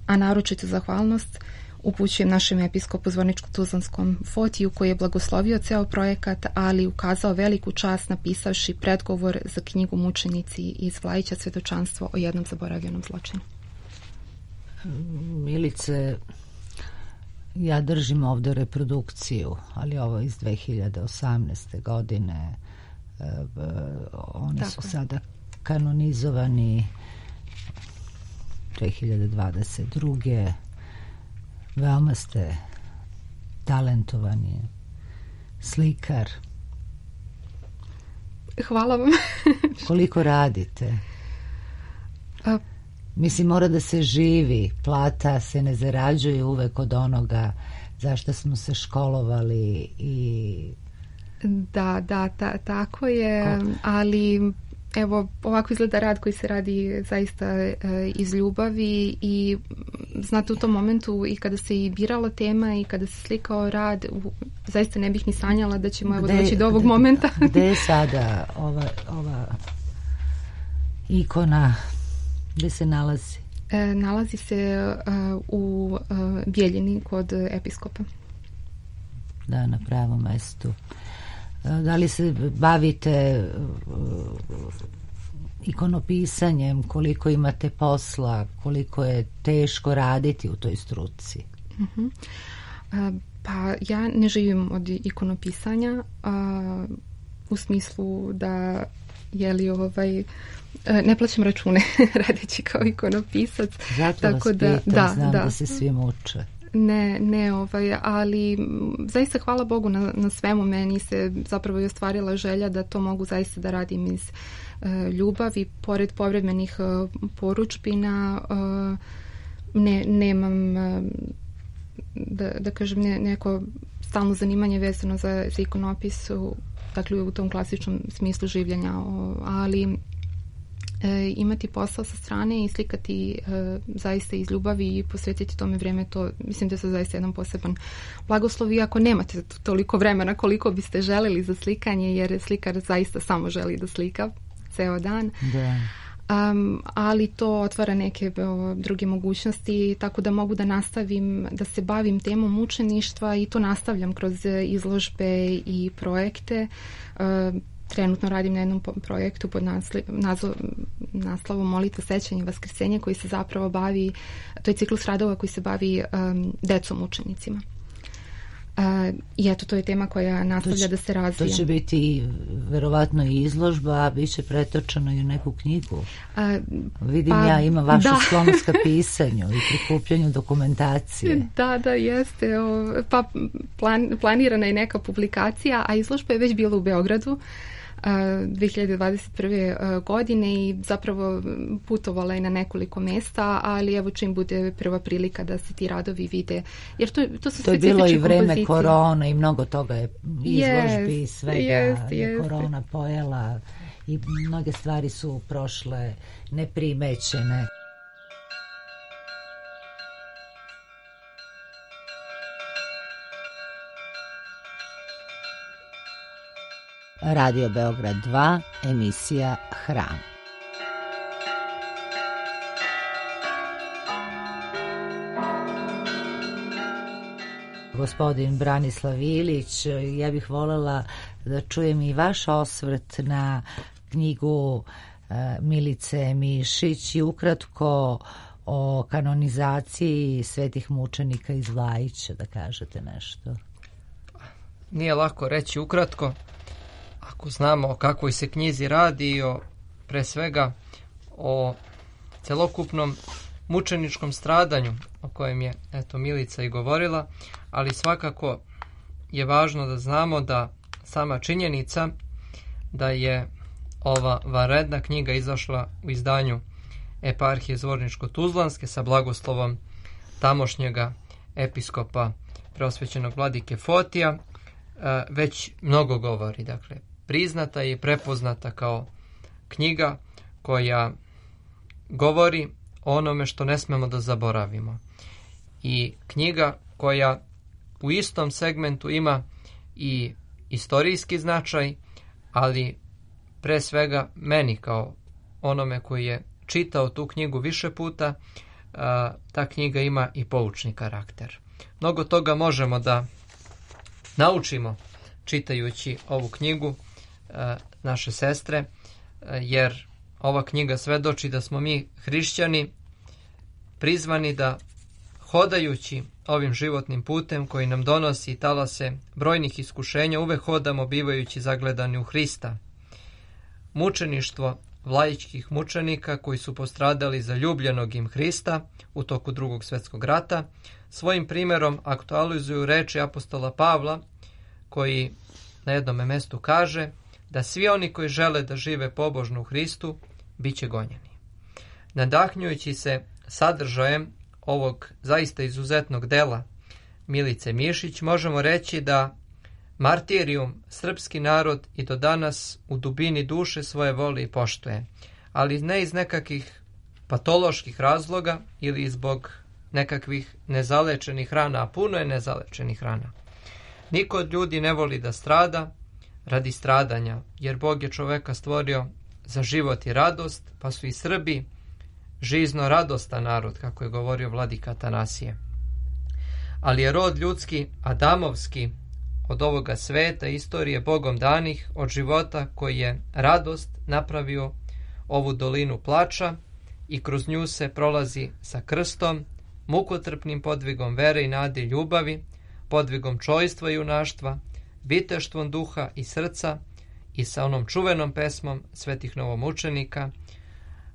A naročitu zahvalnost upućujem našem episkopu Zvorničko-Tuzlanskom Fotiju koji je blagoslovio ceo projekat, ali ukazao veliku čast napisavši predgovor za knjigu Mučenici iz Vlajića, svedočanstvo o jednom zaboravljenom zločinu. Milice, ja držim ovdje reprodukciju, ali ovo iz dve hiljade osamnaeste. godine. E, oni Tako su je. sada kanonizovani dve hiljade dvadeset druge. Veoma ste talentovani slikar. Hvala vam. Koliko radite? A, Mislim, mora da se živi. Plata se ne zarađuje uvek od onoga zašto smo se školovali i... Da, da, ta, tako je, Ko? ali evo, ovako izgleda rad koji se radi zaista e, iz ljubavi i znate u tom momentu i kada se i birala tema i kada se slikao rad, u, zaista ne bih ni sanjala da ćemo evo doći do ovog gde, momenta. Gde je sada ova, ova ikona, gde se nalazi? E, nalazi se uh, u uh, Bijeljini kod episkopa. Da, na pravom mestu. Da li se bavite ikonopisanjem, koliko imate posla, koliko je teško raditi u toj struci? Uh-huh. Uh, pa ja ne živim od ikonopisanja uh, u smislu da je li ovaj ne plaćam račune radeći kao ikonopisac. Zato tako vas da, pitam, da, znam da. da se svi muče. Ne, ne, ovaj, ali zaista hvala Bogu na, na svemu. Meni se zapravo i ostvarila želja da to mogu zaista da radim iz uh, ljubavi. Pored povremenih uh, poručbina uh, ne, nemam uh, da, da kažem ne, neko stalno zanimanje vezano za, za ikonopis, dakle u tom klasičnom smislu življenja, ali E, imati posao sa strane i slikati e, zaista iz ljubavi i posvetiti tome vreme, to mislim da je to zaista jedan poseban blagoslov, iako nemate toliko vremena koliko biste želeli za slikanje, jer slikar zaista samo želi da slika ceo dan. Da. Um, ali to otvara neke o, druge mogućnosti, tako da mogu da nastavim da se bavim temom mučeništva i to nastavljam kroz izložbe i projekte. Uh, Trenutno radim na jednom projektu pod naslovom Molitva, sećanje i vaskrsenje, koji se zapravo bavi, to je ciklus radova koji se bavi um, decom mučenicima. Uh, I eto, to je tema koja nastavlja će, da se razvija. To će biti verovatno i izložba, bit će pretočeno i u neku knjigu. Uh, Vidim pa, ja, ima vašu da. sklonost ka pisanju i prikupljanju dokumentacije. Da, da, jeste. O, pa plan, planirana je neka publikacija, a izložba je već bila u Beogradu dve hiljade dvadeset prve godine i zapravo putovala je na nekoliko mesta, ali evo čim bude prva prilika da se ti radovi vide, jer to, to su to je bilo i vreme kompozicije. Korona i mnogo toga je izložbi i svega jest, je jest. korona pojela i mnoge stvari su prošle neprimećene. Radio Beograd dva, emisija Hram. Gospodin Branislav Ilić, ja bih voljela da čujem i vaš osvrt na knjigu Milice Mišić i ukratko o kanonizaciji svetih mučenika iz Vlajića, da kažete nešto. Nije lako reći ukratko, ako znamo o kakvoj se knjizi radi i o, pre svega o celokupnom mučeničkom stradanju o kojem je eto Milica i govorila, ali svakako je važno da znamo da sama činjenica da je ova vanredna knjiga izašla u izdanju Eparhije Zvorničko-Tuzlanske sa blagoslovom tamošnjega episkopa preosvećenog vladike Fotija, već mnogo govori. Dakle, priznata je i prepoznata kao knjiga koja govori o onome što ne smemo da zaboravimo. I knjiga koja u istom segmentu ima i istorijski značaj, ali pre svega meni kao onome koji je čitao tu knjigu više puta, ta knjiga ima i poučni karakter. Mnogo toga možemo da naučimo čitajući ovu knjigu naše sestre, jer ova knjiga svedoči da smo mi hrišćani prizvani da hodajući ovim životnim putem koji nam donosi talase brojnih iskušenja uvek hodamo bivajući zagledani u Hrista. Mučeništvo vlajičkih mučenika koji su postradali za ljubljenog im Hrista u toku Drugog svjetskog rata svojim primjerom aktualizuju reči apostola Pavla koji na jednom mestu kaže da svi oni koji žele da žive pobožno u Hristu bit će gonjeni. Nadahnjujući se sadržajem ovog zaista izuzetnog dela Milice Mišić, možemo reći da martirijum srpski narod i do danas u dubini duše svoje voli i poštuje, ali ne iz nekakvih patoloških razloga ili zbog nekakvih nezalečenih rana, a puno je nezalečenih rana. Niko od ljudi ne voli da strada radi stradanja, jer Bog je čoveka stvorio za život i radost, pa su i Srbi žizno radostan narod, kako je govorio vladika Atanasije. Ali je rod ljudski, adamovski, od ovoga sveta, istorije Bogom danih, od života koji je radost napravio ovu dolinu plača i kroz nju se prolazi sa krstom, mukotrpnim podvigom vere i nade i ljubavi, podvigom čojstva i junaštva, viteštvom duha i srca i sa onom čuvenom pesmom svetih novomučenika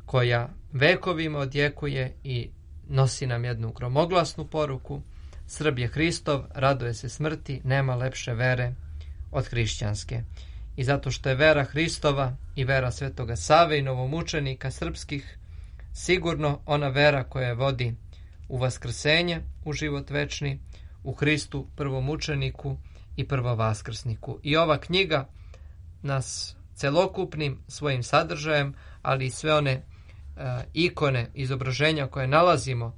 koja vekovima odjekuje i nosi nam jednu gromoglasnu poruku: Srb je Hristov, raduje se smrti, nema lepše vere od hrišćanske. I zato što je vera Hristova i vera Svetoga Save i novomučenika srpskih sigurno ona vera koja vodi u vaskrsenje, u život večni, u Hristu prvomučeniku i prvovaskrsniku. I ova knjiga nas celokupnim svojim sadržajem, ali i sve one uh, ikone, izobraženja koje nalazimo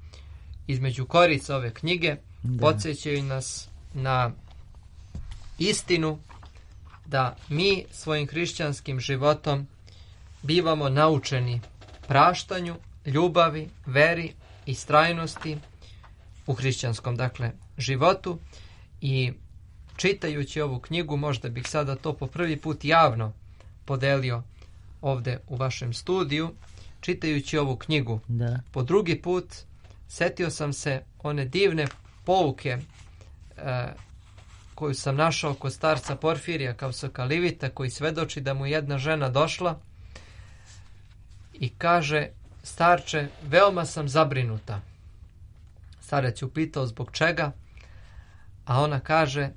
između korica ove knjige, da. Podsjećaju nas na istinu da mi svojim hrišćanskim životom bivamo naučeni praštanju, ljubavi, veri i istrajnosti u hrišćanskom, dakle, životu. I čitajući ovu knjigu, možda bih sada to po prvi put javno podelio ovde u vašem studiju, čitajući ovu knjigu, da. Po drugi put setio sam se one divne pouke e, koju sam našao kod starca Porfirija Kavsokalivita, koji svedoči da mu jedna žena došla i kaže: starče, veoma sam zabrinuta. Starac je upitao zbog čega, a ona kaže: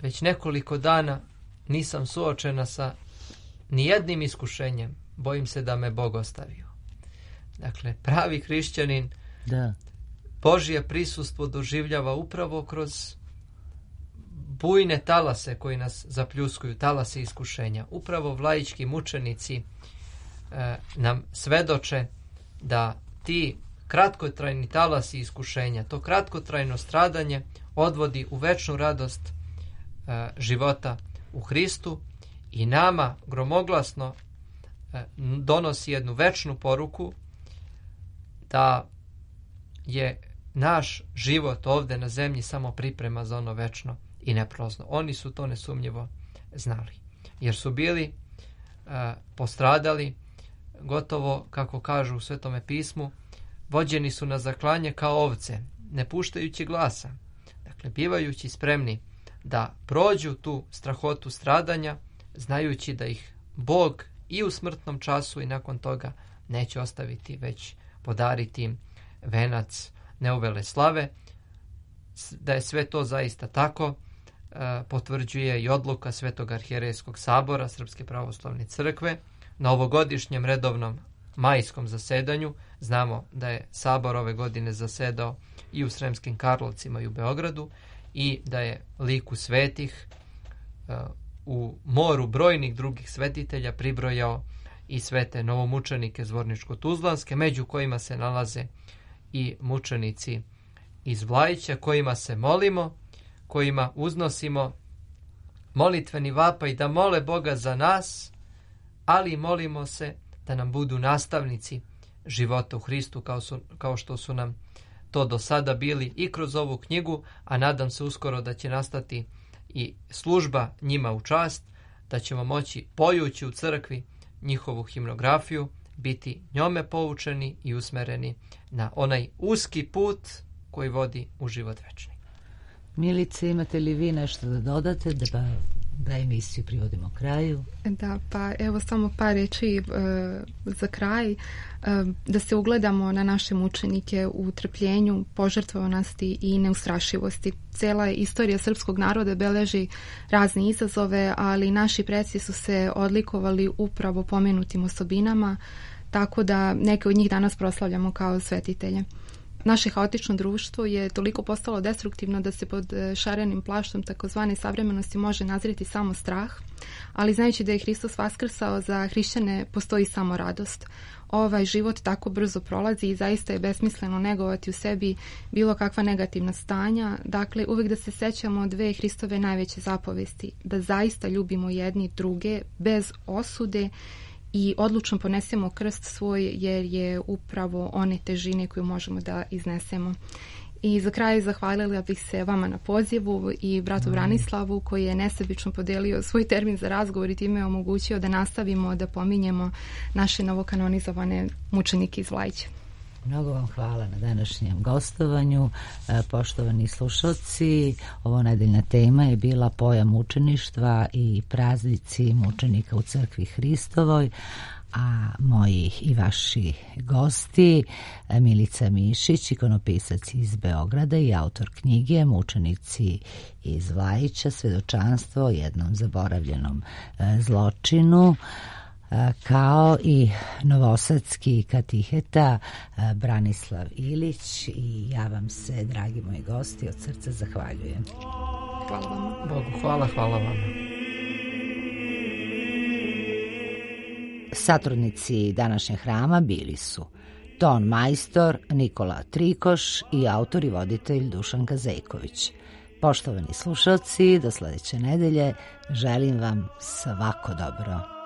već nekoliko dana nisam suočena sa nijednim iskušenjem, bojim se da me Bog ostavio. Dakle, pravi hrišćanin da. Božje prisustvo doživljava upravo kroz bujne talase koji nas zapljuskuju, talase iskušenja. Upravo vlajički mučenici e, nam svedoče da ti kratkotrajni talasi iskušenja, to kratkotrajno stradanje odvodi u večnu radost e, života u Hristu i nama gromoglasno donosi jednu večnu poruku da je naš život ovdje na zemlji samo priprema za ono večno i neprolazno. Oni su to nesumnjivo znali, jer su bili uh, postradali, gotovo, kako kažu u Svetome pismu, vođeni su na zaklanje kao ovce, ne puštajući glasa. Dakle, bivajući spremni da prođu tu strahotu stradanja, znajući da ih Bog i u smrtnom času i nakon toga neće ostaviti, već podariti im venac neuvele slave. Da je sve to zaista tako, potvrđuje i odluka Svetog arhijerejskog sabora Srpske pravoslavne crkve na ovogodišnjem redovnom majskom zasedanju. Znamo da je sabor ove godine zasedao i u Sremskim Karlovcima i u Beogradu i da je liku svetih u moru brojnih drugih svetitelja pribrojao i svete novomučenike Zvorničko-Tuzlanske, među kojima se nalaze i mučenici iz Vlajića, kojima se molimo, kojima uznosimo molitveni vapaj da mole Boga za nas, ali molimo se da nam budu nastavnici života u Hristu, kao, su, kao što su nam to do sada bili i kroz ovu knjigu, a nadam se uskoro da će nastati i služba njima u čast, da ćemo moći, pojući u crkvi njihovu himnografiju, biti njome poučeni i usmereni na onaj uski put koji vodi u život večni. Milice, imate li vi nešto da dodate da, da emisiju privodimo kraju? Da, pa evo samo par reči e, za kraj. E, da se ugledamo na naše mučenike u trpljenju, požrtvovanosti i neustrašivosti. Cela istorija srpskog naroda beleži razne izazove, ali naši preci su se odlikovali upravo pomenutim osobinama, tako da neke od njih danas proslavljamo kao svetitelje. Naše haotično društvo je toliko postalo destruktivno da se pod šarenim plaštom takozvane savremenosti može nazreti samo strah, ali znajući da je Hristos vaskrsao, za hrišćane postoji samo radost. Ovaj život tako brzo prolazi i zaista je besmisleno negovati u sebi bilo kakva negativna stanja. Dakle, uvijek da se sećamo dve Hristove najveće zapovesti, da zaista ljubimo jedni druge bez osude i odlučno ponesemo krst svoj, jer je upravo one težine koju možemo da iznesemo. I za kraj zahvalila bih se vama na pozivu i bratu Branislavu koji je nesebično podelio svoj termin za razgovor i time omogućio da nastavimo da pominjemo naše novokanonizovane mučenike iz Vlajića. Mnogo vam hvala na današnjem gostovanju. Poštovani slušalci, ovo nedeljna tema je bila pojam mučeništva i praznici mučenika u crkvi Hristovoj, a moji i vaši gosti Milica Mišić, ikonopisac iz Beograda i autor knjige Mučenici iz Vlajića, svedočanstvo o jednom zaboravljenom zločinu, kao i novosadski katiheta Branislav Ilić. I ja vam se, dragi moji gosti, od srca zahvaljujem. Hvala vam. Bogu hvala, hvala vam. Satrudnici današnjeg hrama bili su ton majstor Nikola Trikoš i autor i voditelj Dušan Kazejković. Poštovani slušalci, do sledeće nedelje želim vam svako dobro.